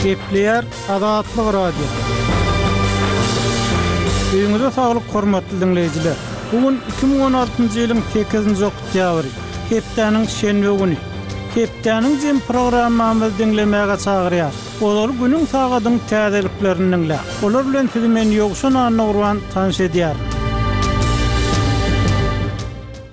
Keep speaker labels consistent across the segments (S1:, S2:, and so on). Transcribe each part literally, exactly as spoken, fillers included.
S1: Gepleýär Azatlyk Radiosy. Öýüňize saglyk hormatly diňleýjiler. Bu gün iki müň on altynjy ýylyň sekizinji oktýabry, hepdäniň şenbe güni. Hepdäniň jem programmamyzy diňlemäge çagyrýar. Olar günüň sagadyň täzeliklerini diňläň. Olar bilen sizi men Ýowşan Annagurban tanyş edýärin.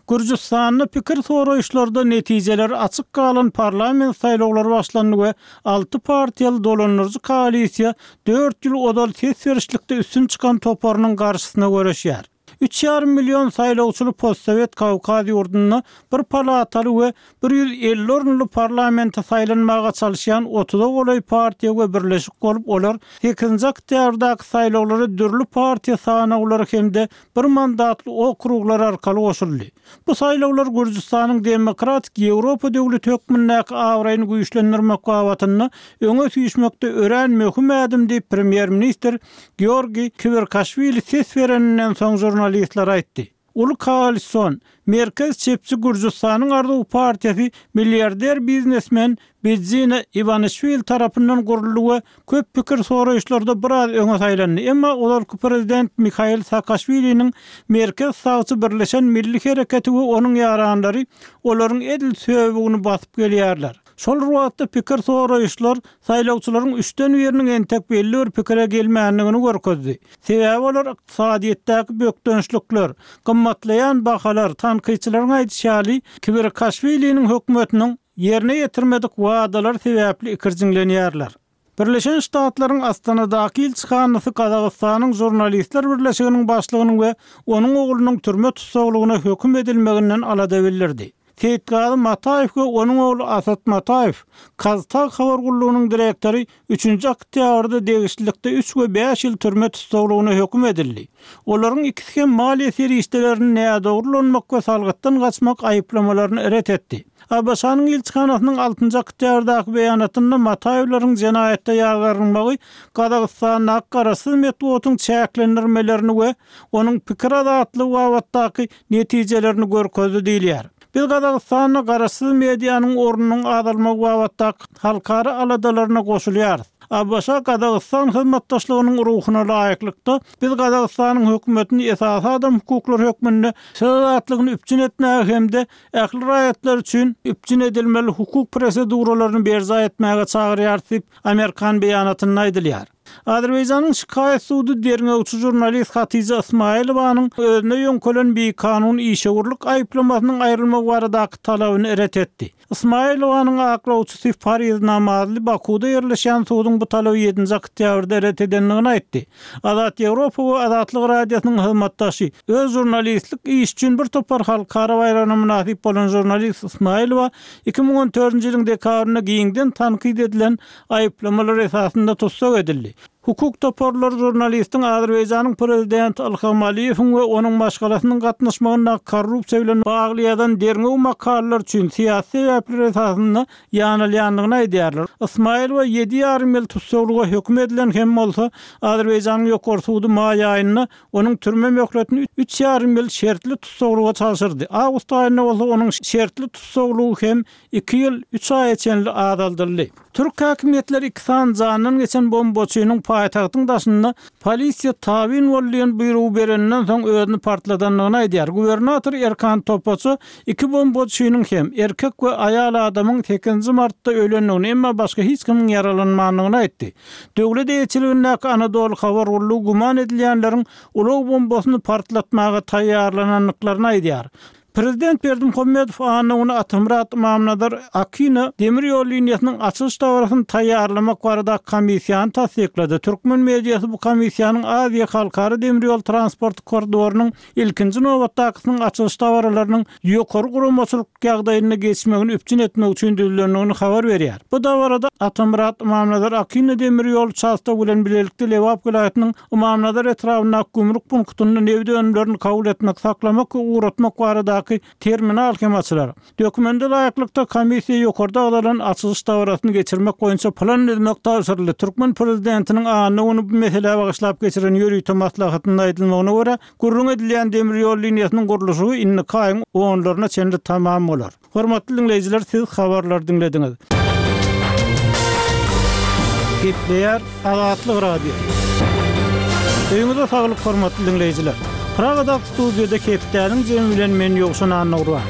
S1: Gürjüstanda pikir soraýyşlarda netijeler açyk galan parlament saýlawlary başlandy we alty partiýaly dolandyryjy koalisiýa dört ýyl ozal ses berişlikde üstün çykan toparynyň garşysyna göreşýär. Üç ýarym million saýlawçyly postsowet Kawkaz ýurdunda bir palataly we bir ýüz elli orunly parlamente saýlanmaga çalyşýan otuza golaý partiýa we birleşik bolup, olar sekizinji oktýabrdaky saýlawlara dürli partiýa sanawlary hem-de bir mandatly okruglar arkaly goşuldy. Bu saýlawlar Gürjüstanyň demokratik Ýewropa döwleti hökmündäki abraýyny güýçlendirmek babatynda öňe süýşmekde örän möhüm ädim diýip premýer-ministr Georgiý Kwirkaşwili ses bereninden soň žurnalistlere aýtdy. Uly koalision, merkez çepçi Gürjüstanyň Arzuw partiýasy milliarder biznesmen Bidzina Iwanişwili tarapyndan guruldy we köp pikir soraýyşlarda biraz öňe saýlandy. Emma ozalky prezident Mihail Saakaşwiliniň merkez sagçy Birleşen Milli Hereketi we onuň ýaranlary olaryň edil söbügini basyp gelýärler. Şol bir wagtda pikir soraýyşlar saýlawçylaryň üçden biriniň entek belli bir pikire gelmändigini görkezdi. Sebäbi olar ykdysadyýetdäki bökdençlikler, gymmatlaýan bahalar, tankytçylaryň aýdyşy ýaly Kwirkaşwiliniň hökümetiniň ýerine ýetirmedik wadalar sebäpli ikirjiňlenýärler. Birleşen Ştatlaryň Astanadaky ilçihanasy Gazagystanyň Žurnalistler birleşiginiň başlygynyň we onuň oglunyň türme tussaglygyna höküm edilmeginden alada bildirdi. Seýitgazy Mataýew we onuň ogly Asat Mataýew, Kaztag habar gullugynyň direktory üçünji oktýabrda degişlilikde üç we bäş ýyl türme tussaglygyna höküm edildi. Olaryň ikisi hem maliýe serişdelerini nädogry ulanmak we salgytdan gaçmak aýyplamalaryny ret etdi. A B Ş-nyň ilçihanasynyň altynjy oktýabrdaky beýanatynda Mataýewleriň jenaýatda ýazgarylmagy Gazagystandaky garaşsyz metbugatyň çäklendirmelerini we onuň pikir azatlygy babatdaky netijelerini görkezdi diýilýär. Biz Gazagystanda garaşsyz medianyň ornunyň azalmagy babatdaky halkara aladalaryna goşulýarys. A B Ş Gazagystan hyzmatdaşlygynyň ruhuna laýyklykda biz Gazagystanyň hökümetini esasy adam hukuklary hökmünde söz azatlygyny üpjün etmäge hem-de ähli raýatlar üçin üpjün edilmeli hukuk proseduralaryny berjaý etmäge çagyrýarys diýip Amerikan beýanatynda aýdylýar. Azerbaýjanyň şikaýat sudy derňewçi žurnalist Hatija Ismailowanyň özüne ýöňkelen bikanun işewürlik aýyplamasynyň aýrylmagy baradaky talabyny ret etdi. Ismailowanyň aklawçysy Fariz Namazly Bakuda ýerleşýän suduň bu talaby ýedinji oktýabrda ret edendigini aýtdy. Azat Ýewropa we Azatlyk Radiosynyň hyzmatdaşy öz žurnalistlik iş üçin bir topar halkara baýragyna mynasyp bolan žurnalist Ismailowa iki müň on dördünji ýylyň dekabrynda giňden tankyt edilen aýyplamalar esasynda tussag edildi. Hukuk toparlary žurnalistiň Azerbaýjanyň prezidenti Ilham Aliýewiň we onuň maşgalasynyň gatnaşmagynda korrupsiýa bilen bagly ýazan derňew makalalar üçin syýasy sebäpler esasynda ýanylýandygyny aýdýarlar. Ismailowa ýedi ýarym ýyl tussaglyga höküm edilen hem bolsa, Azerbaýjanyň ýokary sudy maý aýynda onuň türme möhletini üç ýarym ýyl şertli tussaglyga çalşyrdy. Awgust aýynda bolsa onuň şertli tussaglygy hem iki ýyl üç aýa çenli azaldyldy. Türk häkimiýetleri iki sany jandan geçen bombaçynyň paýtagtyň daşynda polisiýa tabyn bol diýen buýrugy bereninden soň özüni partladandygyny aýdýar. Gubernator Erkan Topaça iki bombaçynyň hem erkek we aýal adamyň sekizinji martda ölendigini, emma başga hiç kimiň ýaralanmandygyny aýtdy. Döwlet eýeçiligindäki Anadolu habar gullugy güman edilýänleriň ulag bombasyny partlatmaga taýýarlanandyklaryny aýdýar. Prezident Berdimuhamedow anna güni Atamyrat Ymamnazar Akina demir ýol liniýasynyň açylyş dabarasyny taýýarlamak barada komissiýany tassyklady. Türkmen mediasy bu komissiýanyň Aziýa halkara demir ýol transport koridorynyň ilkinji nobatdakysynyň açylyş dabaralarynyň ýokary guramaçylyk ýagdaýynda geçmegini üpjün etmek üçin düzülendigini habar berýär. Bu dabarada Atamyrat Ymamnazar Akina demir ýol uçastogy bilen bilelikde Lebap welaýatynyň Ymamnazar etrabyndaky gümrük punktynda nebit önümlerini kabul etmek, saklamak we ugratmak baradaky terminal hem açylar. Dokumenta laýyklykda komissiýa ýokarda agzalan açylyş dabarasyny geçirmek boýunça plan düzmek tabşyryldy. Türkmen prezidentiniň anna güni bu meselä bagyşlap geçiren ýörite maslahatynda aýdylmagyna görä, gürrüň edilýän demir ýol liniýasynyň gurluşygy indiki aýyň onlaryna çenli tamam bolar. Hormatly dinleýjiler, siz habarlary diňlediňiz. Gepleýär Azatlyk Radiosy. Öýüňize saglyk hormatly diňleýjiler. Pragadaky studiýada hepdäniň jemi bilen men Ýowşan Annagurban.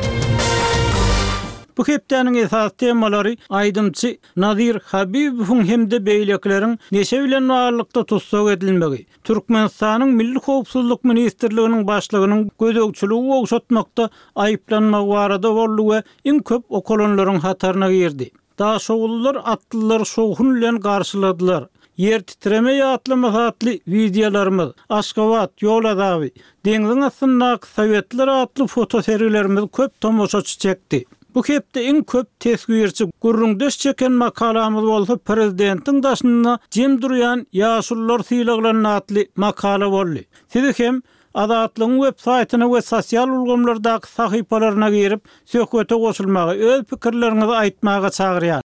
S1: Bu hepdäniň esasy temalary aýdymçy Nazir Habibowyň hem-de beýlekileriň neşe bilen baglylykda tussag edilmegi, Türkmenistanyň Milli howpsuzlyk ministrliginiň başlygynyň gözegçiligi gowşatmakda aýyplanmagy barada boldy we iň köp okalanlaryň hataryna girdi. Daşoguzlylar atlylary şowhun bilen garşyladylar. Ýer titreme ýatlamasy atly wideolarymyz, Aşgabat, ýol azaby, Deňziň astyndaky sowetler atly fotosergilerimiz köp tomaşaçy çekdi. Bu hepde iň köp teswirçi, gürrüňdeş çeken makalamyz bolsa Prezidentiň daşynda jem durýan ýaşulular sylaglandy atly makala boldy. Sizi hem Azatlygyň web saýtyna we sosial ulgamlardaky sahypalaryna girip, söhbete goşulmaga, öz pikirleriňizi aýtmaga çagyrýar.